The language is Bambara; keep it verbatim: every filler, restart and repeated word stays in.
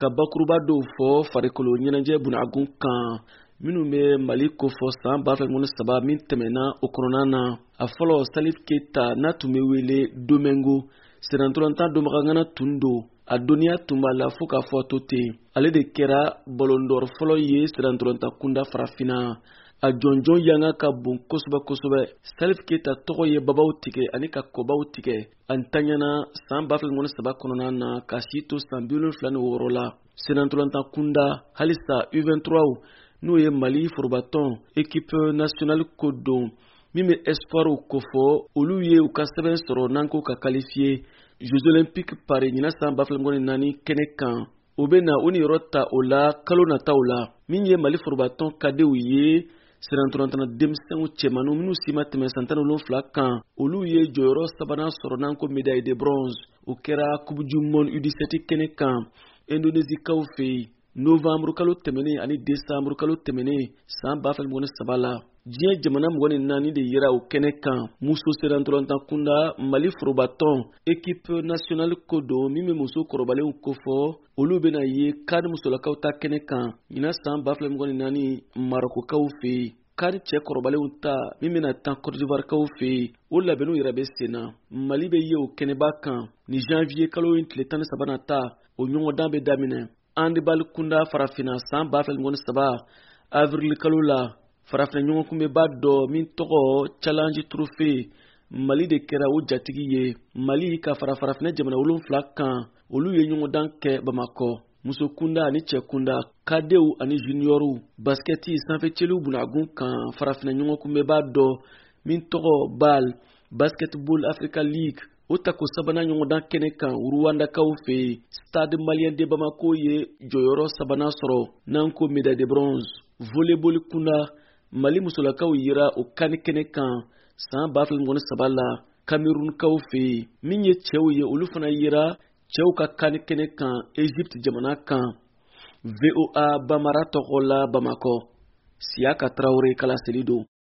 Ka bakuruba dɔw fɔ farikolo ɲɛnajɛ bunagun kan minnu bɛ Mali kofɔ san ba fila saba min tɛmɛna, o kɔnɔna na, a fɔlɔ, Salif Keyita, n'a tun bɛ wele Domingo, sennantolatan dɔnbagagana tun don. A dɔnniya tun b'a la fo k'a fɔ to ten. Ale de kɛra ballon d'or fɔlɔ ye sennantolatan kunda Farafinna. A jɔnjɔn yanga ka bon kosɛbɛ kosɛbɛ. Salif Keyita tɔgɔ ye babaw tigɛ ani ka kɔbaw tigɛ. A ntanyana san ba fila saba kɔnɔna na, ka si to san bi wolonfila ni wɔɔrɔ la. Sennantolatan kunda halisa, U vingt-trois, n'o ye Mali forobatɔn équipe nationale ko don min bɛ espoirw kofɔ, olu ye u ka sɛbɛn sɔrɔ n'an ko ka qualifier Jeux olympiques Paris ɲinan san ba fila ni naani kɛnɛ kan. O bɛ na o niyɔrɔ ta o la kalo nataw la. Min ye Mali forobatɔn cadetw ye, sennantolatan denmisɛnw cɛmanninw minnu si ma tɛmɛ san tan ni wolonfila kan, olu ye jɔyɔrɔ sabanan sɔrɔ, n'an ko médaille de bronze. O kɛra Coupe du monde U dix-sept kɛnɛ kan Indonésikaw fɛ yen novembre kalo tɛmɛnen ani décembre kalo tɛmɛnen san ba fila ni saba la. Diɲɛ jamana mugan ni naani de yera o kɛnɛ kan. Muso sennantolatan kunda, Mali forobatɔn équipe nationale ko don min bɛ muso kɔrɔbalenw kofɔ, olu bɛna ye CAN musolakaw ta kɛnɛ kan ɲinan san ba fila ni naani Marɔkukaw fɛ yen. CAN cɛ kɔrɔbalenw ta min bɛna tan Côte d'Ivoire kaw fɛ yen, o labɛnniw yɛrɛ bɛ sen na. Mali bɛ ye o kɛnɛba kan ni janvier kalo in tile tan ni saba ta, o ɲɔgɔndan bɛ daminɛ. Handball kunda Farafinna, san ba fila ni saba avril kalo la, Farafinna ɲɔgɔnkunbɛba dɔ min tɔgɔ Challenge Trophée, Mali de kɛra o jatigi ye. Mali ka fara Farafinna jamana wolonfila kan, olu ye ɲɔgɔndan kɛ Bamakɔ. Muso kunda ani cɛ kunda, cadetw ani juniorw, baskɛti sanfɛcɛliw bunagun kan, Farafinna ɲɔgɔnkunbɛba dɔ min tɔgɔ BAL, Basketball Africa League, o tako sabanan ɲɔgɔndan kɛnɛ kan Ruwandakaw fɛ yen, Stade Malien de Bamako ye jɔyɔrɔ sabanan sɔrɔ, n'an ko médaille de bronze. Volleyball kunda, Mali musolakaw yera o CAN kɛnɛ kan san ba fila saba la Kamerunkaw fɛ yen. Min ye cɛw ye, olu fana yera cɛw ka CAN kɛnɛ kan Egypte jamana kan. V O A Bamara tɔgɔ la Bamakɔ, Siyaka Tarawele ka laseli don.